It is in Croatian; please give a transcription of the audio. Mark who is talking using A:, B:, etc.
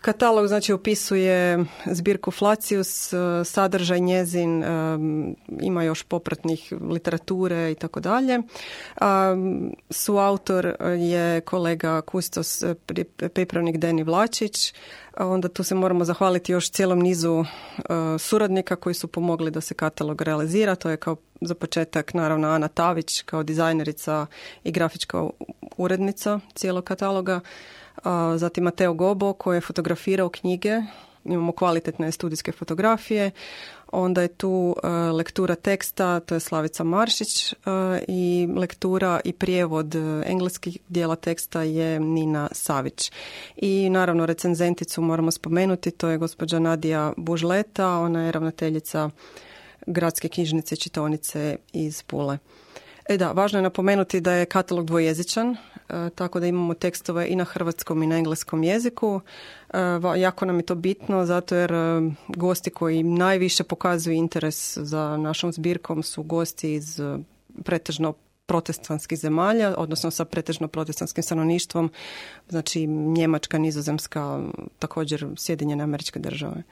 A: Katalog znači opisuje zbirku Flacius, sadržaj njezin, ima još popratnih literature i tako dalje. Suautor je kolega kustos, pripravnik Deni Vlačić. Onda tu se moramo zahvaliti još cijelom nizu suradnika koji su pomogli da se katalog realizira. To je kao za početak naravno Ana Tavić kao dizajnerica i grafička urednica cijelog kataloga. Zatim Mateo Gobo koji je fotografirao knjige, imamo kvalitetne studijske fotografije, onda je tu lektura teksta, to je Slavica Maršić i lektura i prijevod engleskih dijela teksta je Nina Savić. I naravno recenzenticu moramo spomenuti, to je gospođa Nadija Bužleta, ona je ravnateljica Gradske knjižnice i čitaonice iz Pule. Važno je napomenuti da je katalog dvojezičan, tako da imamo tekstove i na hrvatskom i na engleskom jeziku. Jako nam je to bitno, zato jer gosti koji najviše pokazuju interes za našom zbirkom su gosti iz pretežno protestantskih zemalja, odnosno sa pretežno protestantskim stanovništvom, znači Njemačka, Nizozemska, također Sjedinjene Američke Države.